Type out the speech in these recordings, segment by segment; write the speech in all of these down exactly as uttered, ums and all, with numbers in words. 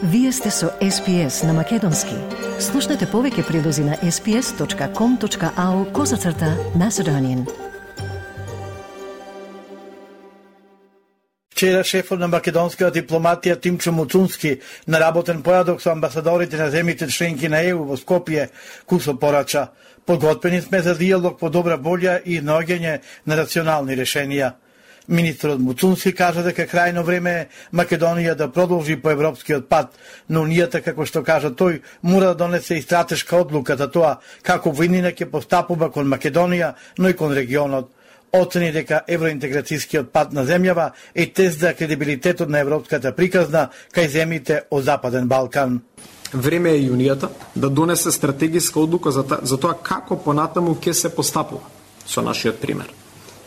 Вие сте со Ес Пи Ес на Македонски. Слушнете повеќе прилози на ес пи ес точка ком точка ау козацрта Macedonian. Вчера шефот на македонската дипломатија Тимчо Муцунски на работен појадок со амбасадорите на земјите членки на Е У во Скопје кусо порача. Подготвени сме за диалог по добра волја и наоѓање на рационални решенија. Министрот Муцунски кажа дека крајно време е Македонија да продолжи по европскиот пат, но унијата, како што кажа тој, мора да донесе и стратешка одлука за тоа како војнина ќе постапува кон Македонија, но и кон регионот. Оцени дека евроинтеграцијскиот пат на земјава е тест за кредибилитетот на европската приказна кај земјите од Западен Балкан. Време е Унијата да донесе стратегиска одлука за, та, за тоа како понатаму ќе се постапува со нашиот пример,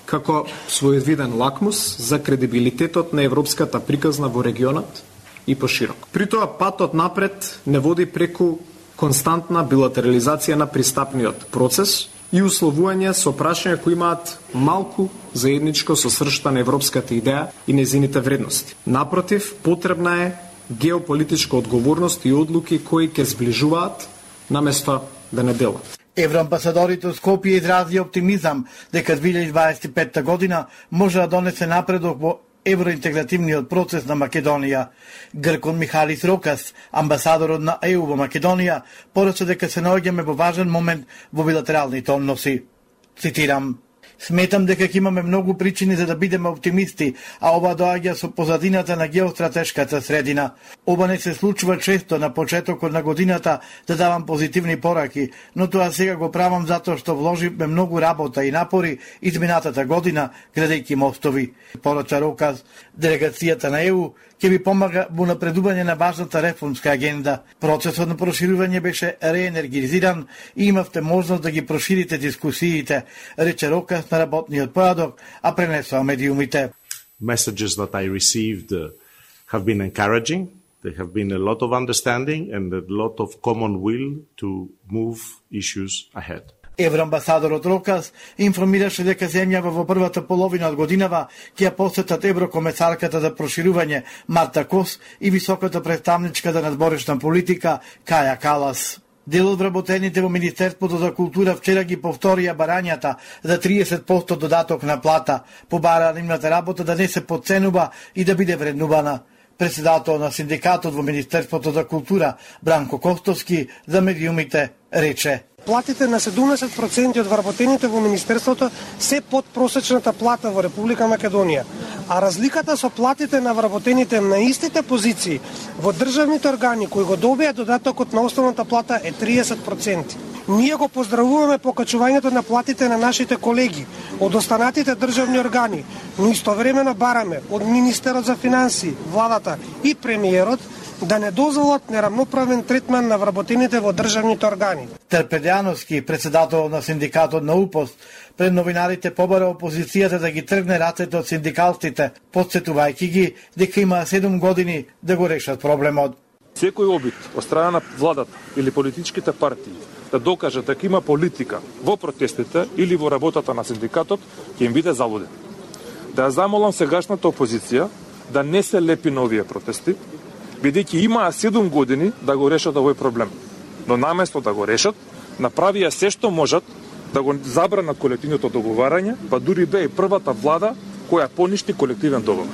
како своевиден лакмус за кредибилитетот на европската приказна во регионот и поширок. При тоа патот напред не води преку константна билатерализација на пристапниот процес и условување со прашања кои имаат малку заедничко со сршта на европската идеја и незините вредности. Напротив, потребна е геополитичка одговорност и одлуки кои ќе зближуваат наместо да не делат. Евроамбасадорите од Скопје изрази оптимизам дека две илјади дваесет и петта година може да донесе напредок во евроинтегративниот процес на Македонија. Гркон Михалис Рокас, амбасадорот на Е У во Македонија, порача дека се наоѓаме во важен момент во билатералните односи. Цитирам: "Сметам дека ќе имаме многу причини за да бидеме оптимисти, а ова доаѓа со позадината на геостратешката средина. Ова не се случува често на почетокот на годината да давам позитивни пораки, но тоа сега го правам затоа што вложивме многу работа и напори изминатата година градејќи мостови." Порача Рокас, делегацијата на Е У ќе ви помага во напредување на важната реформска агенда. Процесот на проширување беше реенергизиран и имавте можност да ги проширите дискусиите, рече Рокас на работниот појадок, а пренесоа медиумите. Messages that I received uh, have been encouraging. There have been a lot of understanding and a lot of common will to move issues ahead. Евроамбасадорот Рокас информираше дека земјава во првата половина од годинава ќе ја посетат еврокомесарката за проширување Марта Кос и високата представничка за надборешна политика Каја Калас. Дел од вработените во Министерството за култура вчера ги повторија барањата за триесет проценти додаток на плата, побараа нивната работа да не се подценува и да биде вреднувана. Председател на синдикатот во Министерството за култура Бранко Костовски за медиумите рече: "Платите на седумдесет проценти од вработените во Министерството се под просечната плата во Република Македонија, а разликата со платите на вработените на истите позиции во државните органи кои го добија додатокот на основната плата е триесет проценти. Ние го поздравуваме покачувањето на платите на нашите колеги од останатите државни органи, но истовремено бараме од министерот за финансии, владата и премиерот да не дозволат нерамноправен третман на вработените во државните органи." Терпедјановски, председател на синдикатот на УПОСТ, пред новинарите побара опозицијата да ги тргне рацете од синдикалците, подсетувајќи ги дека има седум години да го решат проблемот. Секој обид од страна на владата или политичките партии да докаже дека има политика во протестите или во работата на синдикатот ќе им биде залуден. Да ја замолам сегашната опозиција да не се лепи на овие протести, бидејќи имаа седум години да го решат овој проблем. Но наместо да го решат, направија се што можат да го забранат колективното договарање, па дури бе и првата влада која поништи колективен договор.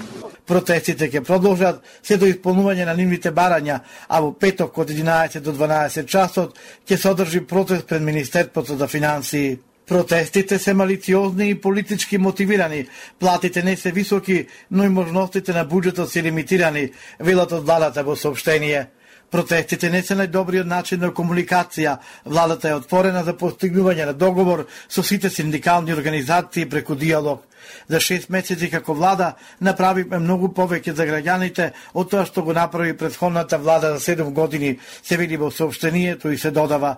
Протестите ќе продолжат се до исполнување на нивните барања, а во петок од единаесет до дванаесет часот ќе се одржи протест пред Министерството за финансии. Протестите се малициозни и политички мотивирани, платите не се високи, но и можностите на буџетот се лимитирани, велат од владата во соопштение. Протестите не се најдобриот начин на комуникација. Владата е отворена за постигнување на договор со сите синдикални организации преку диалог. За шест месеци како влада направивме многу повеќе за граѓаните од тоа што го направи претходната влада за седум години, се вели во соопштението и се додава: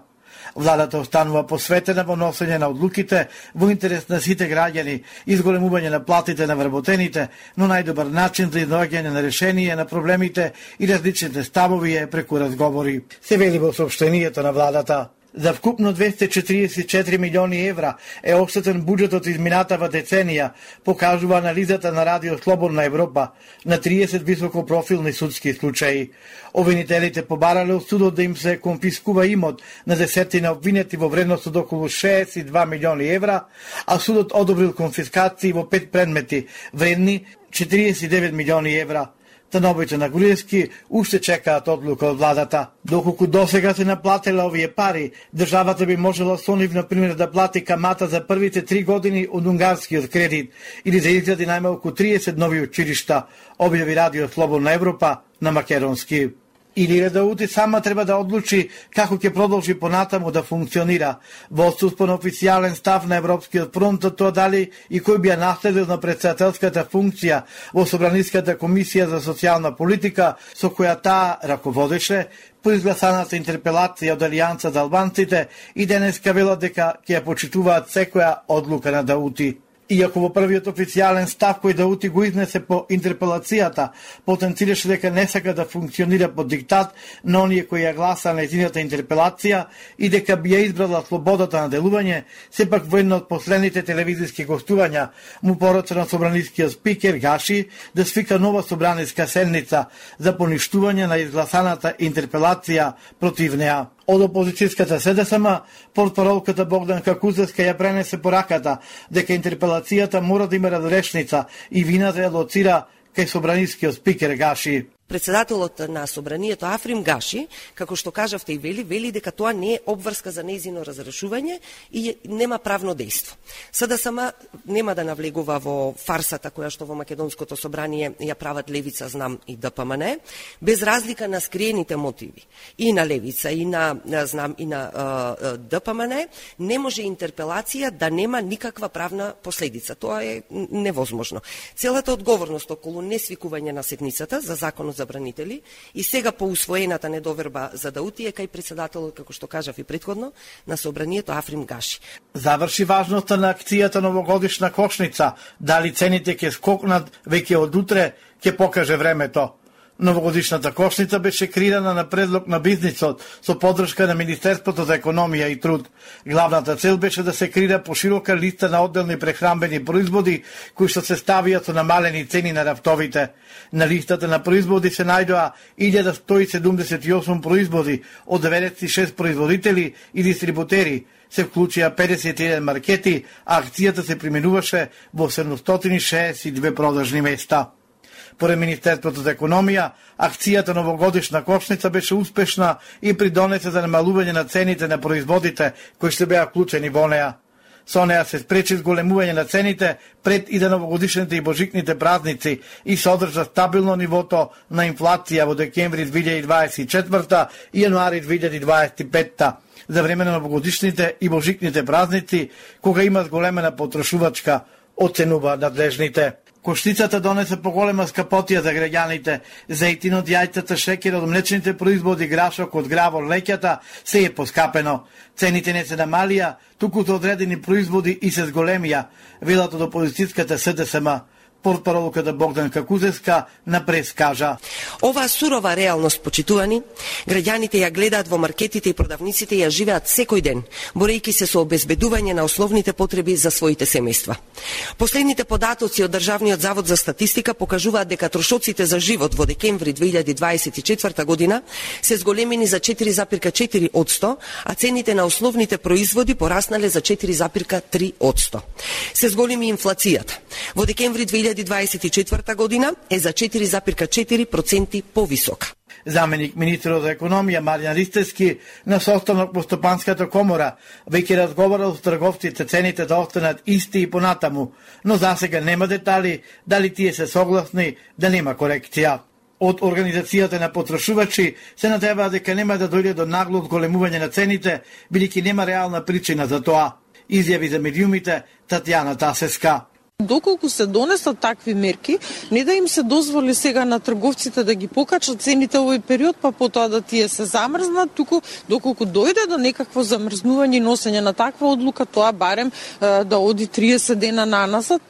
"Владата останува посветена во носење на одлуките во интерес на сите граѓани, изголемување на платите на вработените, но најдобар начин за изнаоѓање на решение на проблемите и различните ставови е преку разговори", се вели во соопштението на владата. За вкупно двесте четиридесет и четири милиони евра е оштетен буџетот изминатава деценија, покажува анализата на Радио Слободна Европа на триесет високопрофилни судски случаи. Обвинителите побарале од судот да им се конфискува имот на десетина обвинети во вредност од околу шеесет и два милиони евра, а судот одобрил конфискации во пет предмети вредни четиридесет и девет милиони евра. Становите на Груевски уште чекаат одлука од владата. Доколку досега се наплатила овие пари, државата би можела со нив, например, да плати камата за првите три години од унгарскиот кредит или да изгради најмалку триесет нови училишта, објави Радио Слободна Европа на македонски. Или РДУ сама треба да одлучи како ќе продолжи понатаму да функционира. Во отсутство на официјален став на Европскиот фронт, тоа дали и кој би ја наследил на председателската функција во Собраниската комисија за социјална политика, со која таа раководеше по изгласаната интерпелација од Алијанса за албанците, и денеска велат дека ќе ја почитуваат секоја одлука на Даути. Иако во првиот официјален став кој Даути го изнесе по интерпелацијата, потенцираше дека не сака да функционира под диктат на оние кои ја гласа на едината интерпелација и дека би ја избрала слободата на делување, сепак во едно од последните телевизиски гостувања му порача на собранискиот спикер Гаши да свика нова собраниска седница за поништување на изгласаната интерпелација против неа. Од опозицијската СДСМ, портпаролката Богданка Кузевска ја пренесе пораката дека интерпелацијата мора да има разрешница и вината ја лоцира кај собранискиот спикер Гаши. Председателот на собранието Африм Гаши, како што кажавте и вели, вели дека тоа не е обврска за нејзино разрешување и нема правно дејство. СДСМ нема да навлегува во фарсата која што во македонското собрание ја прават Левица, знам, и ДПМН, без разлика на скриените мотиви и на Левица и на, знам, и на uh, ДПМН, не може интерпелација да нема никаква правна последица. Тоа е невозможно. Целата одговорност околу несвикување на седницата за законот забранители и сега по усвоената недоверба за Даути е кај председателот, како што кажав и претходно, на собранието Африм Гаши. Заврши важноста на акцијата новогодишна кошница. Дали цените ќе скокнат веќе од утре, ќе покаже времето. Новогодишната кошница беше креирана на предлог на бизнисот со поддршка на Министерството за економија и труд. Главната цел беше да се креира поширока листа на одделни прехранбени производи кои што се ставиат со намалени цени на рафтовите. На листата на производи се најдоа илјада сто и седумдесет и осум производи од деветдесет и шест производители и дистрибутери. Се вклучија педесет и еден маркети, а акцијата се применуваше во седумстотини и шеесет и две продажни места. Поред Министерството за економија, акцијата новогодишна кошница беше успешна и придонесе за намалување на цените на производите кои што беа вклучени во неа. Со неа се спречи зголемување на цените пред и за новогодишните и божикните празници и се одржа стабилно нивото на инфлација во декември две илјади дваесет и четврта и јануари две илјади дваесет и петта. За време на новогодишните и божикните празници, кога има зголемена потрошувачка, оценува надлежните. Кошницата донесе поголема скапотија за граѓаните. Зејтинот, јајцата, шеќерот, млечните производи, грашок од гравор, леќата, се е поскапено. Цените не се намалија, туку за одредени производи и се зголемија, велат од опозицијската СДСМ. Портпаролката Богданка Кузевска на прес кажа: Оваа сурова реалност, почитувани, граѓаните ја гледаат во маркетите и продавниците и ја живеат секој ден, борејќи се со обезбедување на основните потреби за своите семејства. Последните податоци од Државниот завод за статистика покажуваат дека трошоците за живот во декември две илјади дваесет и четврта година се зголемени за четири запирка четири одсто, а цените на основните производи пораснале за четири запирка три одсто. Се зголеми инфлацијата. Во декември две илјади дваесет и четврта година е за четири запирка четири проценти повисока. Заменик министерот за економија Маријан Ристевски на состанок во Стопанската комора веќе разговарал со трговците цените да останат исти и понатаму, но засега нема детали дали тие се согласни да нема корекција. Од Организацијата на потрошувачи се надеваат дека нема да дојде до нагло зголемување на цените, бидејќи нема реална причина за тоа, изјави за медиумите Татјана Тасеска. Доколку се донесат такви мерки, не да им се дозволи сега на трговците да ги покачат цените овој период, па потоа да тие се замрзнат, туку доколку дојде до некакво замрзнување и носење на таква одлука, тоа барем да оди триесет дена наназад,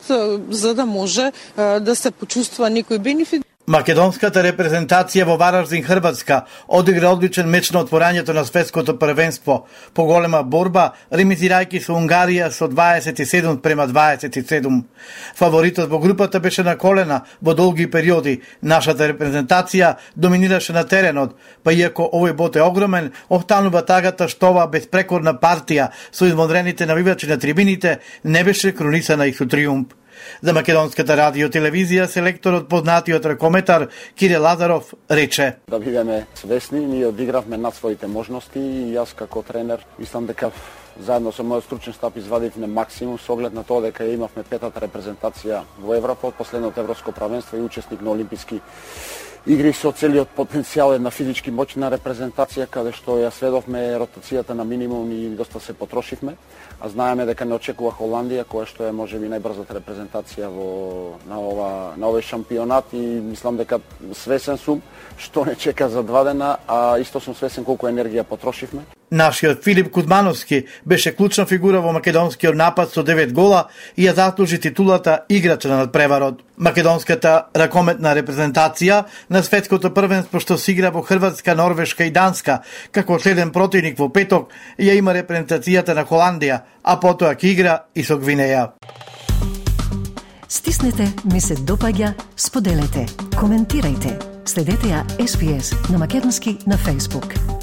за да може да се почувствува некој бенефит. Македонската репрезентација во Вараждин, Хрватска, одигра одличен меч на отворањето на светското првенство, по голема борба, ремизирајќи со Унгарија со дваесет и седум према дваесет и седум. Фаворитот во групата беше на колена во долги периоди. Нашата репрезентација доминираше на теренот, па иако овој бот е огромен, останува тагата што оваа безпрекорна партија со извонредените навивачи на трибините не беше кронисана и со триумф. За Македонската радио телевизија селекторот познатиот ракометар Кире Лазаров рече: Да бидеме свесни, ние одигравме над своите можности и јас како тренер мислам дека заедно со мојот стручен штаб извадивме максимум со оглед на тоа дека имавме петата репрезентација во Европа од последното европско првенство и учесник на олимписки игри со целиот потенцијал една физички моќна репрезентација каде што ја сведовме ротацијата на минимум и доста се потрошивме, а знаеме дека не очекува Холандија која што е можеби најбрзата репрезентација во на ова на овој шампионат и мислам дека свесен сум што не чека за два дена, а исто сум свесен колку енергија потрошивме. Нашиот Филип Кузмановски беше клучна фигура во македонскиот напад со девет гола и ја заслужи титулата играч на надпреварот. Македонската ракометна репрезентација на светското првенство што се игра во Хрватска, Норвешка и Данска, како следен противник во петок, ја има репрезентацијата на Холандија, а потоа ќе игра и со Гвинеја. Стиснете, ми се допаѓа, споделете, коментирајте. Следете ја Ес Би Ес на македонски на Facebook.